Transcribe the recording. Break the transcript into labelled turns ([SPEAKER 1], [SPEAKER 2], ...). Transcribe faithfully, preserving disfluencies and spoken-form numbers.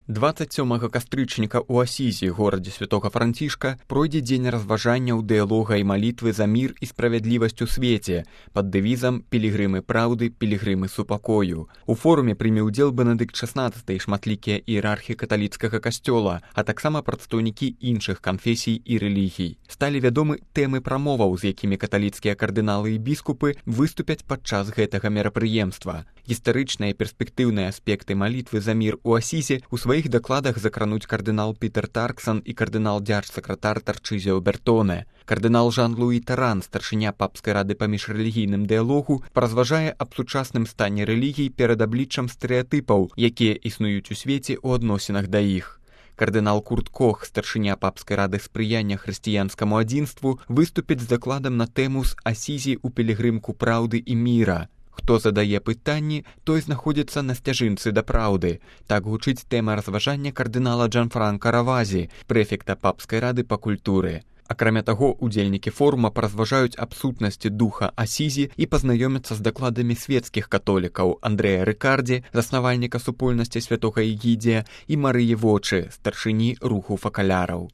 [SPEAKER 1] дваццаць сёмага кастрычніка ў Асізі, горадзе святога Францішка, пройдзе дзень разважанняў, дыялога і малітвы за мір і справядлівасць у свеце пад дэвізам «Пілігрымы праўды, пілігрымы супакою». У форуме прыме ўдзел Бенедыкт шаснаццаты і шматлікія іерархі каталіцкага касцёла, а таксама прадстаўнікі іншых канфесій і рэлігій. Сталі вядомы тэмы прамоваў, з якімі каталіцкія кардыналы і біскупы выступяць падчас гэтага мерапрыемства. Гістарычныя і перспектыўныя аспекты малітвы за мір у Асізе у сваіх дакладах закрануць кардынал Пітер Тарксан і кардынал дзярж-сакратар Тарчызіо Бертоне. Кардынал Жан-Луі Таран, старшыня папскай рады па міжрэлігійным дыялогу, паразважае аб сучасным стане рэлігій перад абліччам стэрэатыпаў, якія існуюць у свеце ў адносінах да іх. Кардынал Курт Кох, старшыня папскай рады спрыяння хрысціянскаму адзінству, выступіць з дакладам на тэму з Асізі ў пілігрымку праўды і міра. Хто задае пытанні, той знаходзіцца на сцяжынцы да праўды. Так гучыць тэма разважання кардынала Джанфранка Равазі, прэфекта папскай рады па культуры. Акрамя таго, удзельнікі форума паразважаюць аб сутнасці духа Асізі і пазнаёмяцца з дакладамі свецкіх католікаў Андрэя Рыкардзі, заснавальніка супольнасці святога Егідзія, і Марыі Вочы, старшыні руху факаляраў.